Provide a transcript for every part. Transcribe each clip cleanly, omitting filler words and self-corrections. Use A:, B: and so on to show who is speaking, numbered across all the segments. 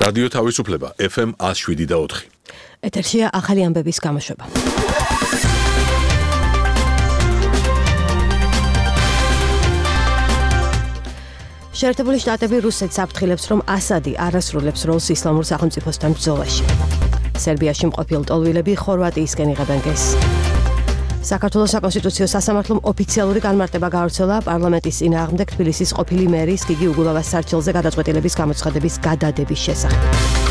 A: რადიო თავისუფლება FM 107.4.
B: ეთერშია ახალი ამბების გამოშვება. შეერთებული შტატები რუსეთს აფრთხილებს, რომ ასადი არასრულებს როლს ისლამურ სახელმწიფოსთან ბრძოლაში. სერბიაში მყოფილ ტოლვილები ხორვატიისკენ იღებენ გეზს. საქართველოს საკონსტიტუციო სასამართლომ ოფიციალური განმარტება გაავრცელა პარლამენტის წინააღმდეგ თბილისის ყოფილი მერის გიგი უგულავას სარჩელზე გადაწყვეტილების გამოცხადების გადადების შესახებ.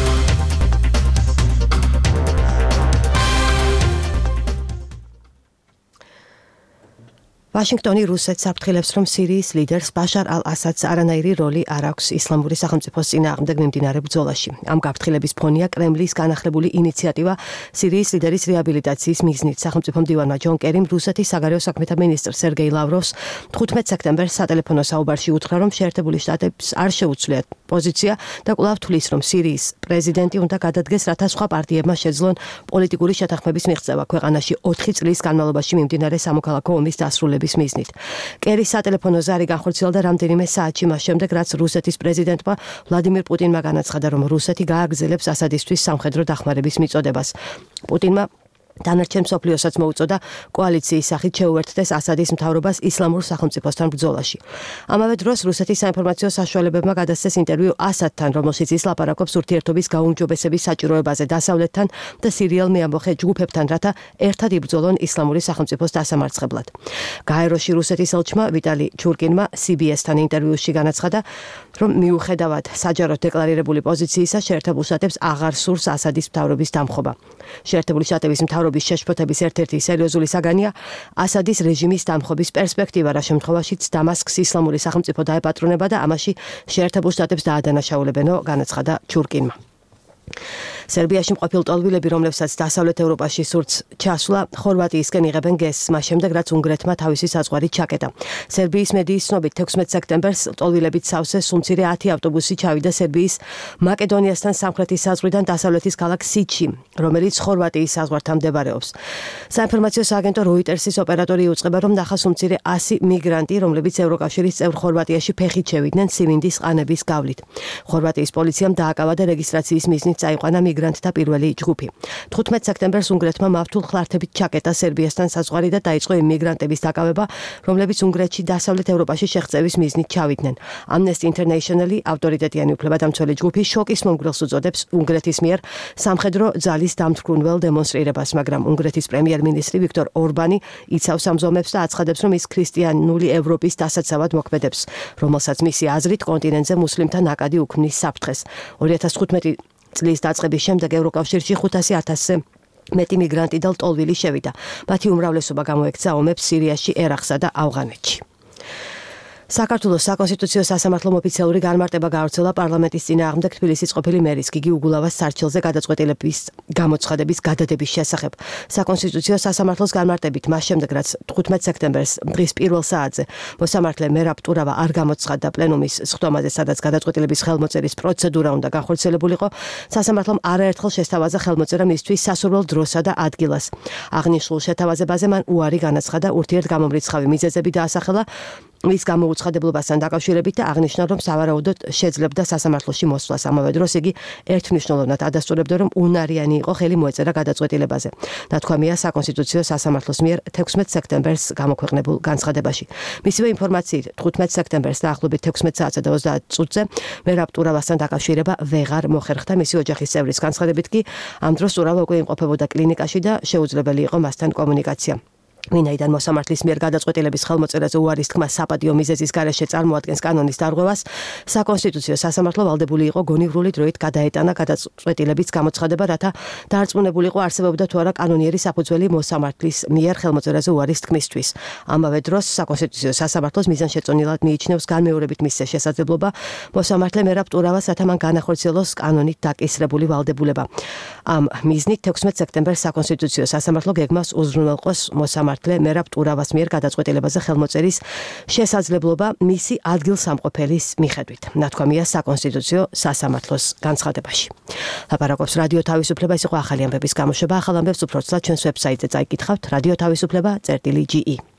B: ვაშინგტონი რუსეთს აფრთხილებს, რომ სირიის ლიდერს ბაშარ ალ-ასადს არანაირი როლი არ აქვს ისლამური სახელმწიფოს წინააღმდეგ მიმდინარე ბრძოლაში. ამ გაფრთხილების ფონია კრემლის განახლებული ინიციატივა სირიის ლიდერის რეაბილიტაციის მიზნით. სახელმწიფო მდივანმა ჯონ კერიმ რუსეთის საგარეო საქმეთა მინისტრ სერგეი ლავროვს 15 სექტემბერს სატელეფონო საუბარში უთხრა, რომ შეერთებული შტატებს არ შეუცვლიათ პოზიცია და კვლავ თვლის, რომ სირიის პრეზიდენტი უნდა გადადგეს, რათა სხვა პარტიებმა შეძლონ პოლიტიკური შეთანხმების მიღწევა ქვეყანაში 4 წლის განმავლობაში მიმდინარე სამოქალაქო ომის დასრულების მიზნით. კერის სატელეფონო ზარი განხორციელდა რამდენიმე საათში მას შემდეგ, რაც რუსეთის პრეზიდენტმა ვლადიმირ პუტინმა განაცხადა, რომ რუსეთი გააგრძელებს ასადისთვის სამხედრო დახმარების მიწოდებას. პუტინმა დანარჩენ მსოფლიოსაც მოუწოდა კოალიციის სახით შეუერთდეს ასადის მთავრობას ისლამურ სახელმწიფოსთან ბრძოლაში. ამავე დროს რუსეთის საინფორმაციო საშუალებებმა გადასცეს ინტერვიუ ასადთან, რომელშიც ის ლაპარაკობს ურთიერთობის გაუმჯობესების საჭიროებაზე დასავლეთთან და სირიელ მეამბოხე ჯგუფებთან, რათა ერთად იბრძოლონ ისლამური სახელმწიფოს დასამარცხებლად. გაეროში რუსეთის ელჩმა ვიტალი ჩურკინმა CBS-თან ინტერვიუში განაცხადა, რომ მიუხედავად საჯაროდ დეკლარირებული პოზიციისა, შეერთებულ შტატებს აღარ სურს ასადის მთავრობის დამხობა. შეერთებული შტატების მთავრობის შეშფოთების ერთ-ერთი სერიოზული საგანია ასადის რეჟიმის დამხობის პერსპექტივა, რა შემთხვევაშიც დამასკს ისლამური სახელმწიფო დაეპატრონება და ამაში შეერთებულ შტატებს დაადანაშაულებენო, განაცხადა ჩურკინმა. სერბიაში მყოფილ ტოლვილები, რომლებსაც დასავლეთ ევროპაში სურთ ჩასვლა, ხორვატიისკენ იღებენ გეზს, მას შემდეგ, რაც უნგრეთმა თავისი საზღვარი ჩაკეტა. სერბიის მედიის ცნობით 16 სექტემბერს ტოლვილებით სავსე სუმცირე 10 ავტობუსი ჩავიდა სერბიის მაკედონიასთან სამხრეთის საზღვრიდან დასავლეთის ქალაქ სიჩი, რომელიც ხორვატიის საზღვართან მდებარეობს. საინფორმაციო სააგენტო როიტერსის ოპერატორი იუწყება, რომ ნახა სუმცირე 100 მიგრანტი, რომლებიც ევროკავშირის წევრ ხორვატიაში ფეხით შევიდნენ სიმინდის ყანების გავლით. ხორვატიის პოლიციამ დააკავა და რეგისტრაციის მიზნით წაიყვანა მიგრანტთა პირველი ჯგუფი. 15 სექტემბერს უნგრეთმა მავთულ ხლართებით ჩაკეტა სერბიასთან საზღვარი და დაიწყო იმ მიგრანტების დაკავება, რომლებიც უნგრეთში დასავლეთ ევროპაში შეღწევის მიზნით ჩავიდნენ. Amnesty International-ი, ავტორიტეტიანი უფლებადამცველი ჯგუფი, შოკის მომგვრელს უწოდებს უნგრეთის მიერ სამხედრო ძალის დამთვრუნველ დემონსტრირებას, მაგრამ უნგრეთის პრემიერ-მინისტრი ვიქტორ ორბანი იცავს ამ ზომებს და აცხადებს, რომ ის ქრისტიანული ევროპის დასაცავად მოქმედებს, რომელსაც მისი აზრით კონტინენტზე მუსლიმთა ნაკადი უქმნის საფრთხეს. 2015 წლის დაწყების შემდეგ ევროკავშირში 500,000-ზე მეტი მიგრანტი და ტოლვილი შევიდა. მათი უმრავლესობა გამოექცა ომებს სირიაში, ერაყსა და ავღანეთში. საქართველოს საკონსტიტუციო სასამართლომ ოფიციალური განმარტება გაავრცელა პარლამენტის წინააღმდეგ თბილისის ყოფილი მერის გიგი უგულავას სარჩელზე გადაწყვეტილების გამოცხადების გადადების შესახებ. საკონსტიტუციო სასამართლოს განმარტებით მას შემდეგ, რაც 15 სექტემბერს დღის პირველ საათზე მოსამართლე მერაბ ტურავა არ გამოცხადდა პლენუმის სხდომაზე, სადაც გადაწყვეტილების ხელმოწერის პროცედურა უნდა განხორციელებულიყო, სასამართლომ არაერთხელ შესთავაზა ხელმოწერა მისთვის სასურველ დროსა და ადგილას. აღნიშნულ შეთავაზებაზე მან უარი განაცხადა, ურთიერთგამომრიცხავი მიზეზები დაასახელა მის გამოუცხადებლობასთან დაკავშირებით და აღნიშნა, რომ სავარაუდოდ შეძლებდა სასამართლოში მოსვლას. ამავე დროს იგი ერთმნიშვნელოვნად ადასტურებდა, რომ უნარიანი იყო ხელი მოეწერა გადაწყვეტილებაზე. ნათქვამია საკონსტიტუციო სასამართლოს მიერ 16 სექტემბერს გამოქვეყნებულ განცხადებაში. მისივე ინფორმაციით 15 სექტემბერს დაახლოებით 16 საათსა და 30 წუთზე მერაბ ტურავასთან დაკავშირება ვეღარ მოხერხდა. მისი ოჯახის წევრის განცხადებით კი ამ დროს ტურავა უკვე იმყოფებოდა კლინიკაში და შეუძლებელი იყო მასთან კომუნიკაცია. ვინაიდან მოსამართლის მიერ გადაწყვეტილების ხელმოწერაზე უარის თქმა საპატიო მიზეზის გარეშე წარმოადგენს კანონის დარღვევას, საკონსტიტუციო სასამართლო ვალდებული იყო გონივრული დროით გადაეტანა გადაწყვეტილების გამოცხადება, რათა დაარწმუნებულიყო არსებობდა თუ არა კანონიერი საფუძველი მოსამართლის მიერ ხელმოწერაზე უარის თქმისთვის. ამავე დროს საკონსტიტუციო სასამართლოს მიზანშეწონილად მიიჩნევს განმეორებით მისცე შესაძლებლობა მოსამართლე მერაბ ტურავას, რათა მან განახორციელოს კანონით დაკისრებული ვალდებულება. ამ მიზნით 16 სექტემბერს საკონსტიტუციო სასამართლო გეგმავს უზრუნველყოს მოსამართლე მერაბ ტურავას მიერ გადაწყვეტილებაზე ხელმოწერის შესაძლებლობა მისი ადგილსამყოფელის მიხედვით. ნათქვამია საკონსტიტუციო სასამართლოს განცხადებაში. ლაპარაკობს რადიო თავისუფლება, ეს იყო ახალი ამბების გამოშვება. ახალ ამბებს უფრო ცოტა ჩვენს ვებსაიტზე წაიკითხავთ, რადიო თავისუფლება.ge.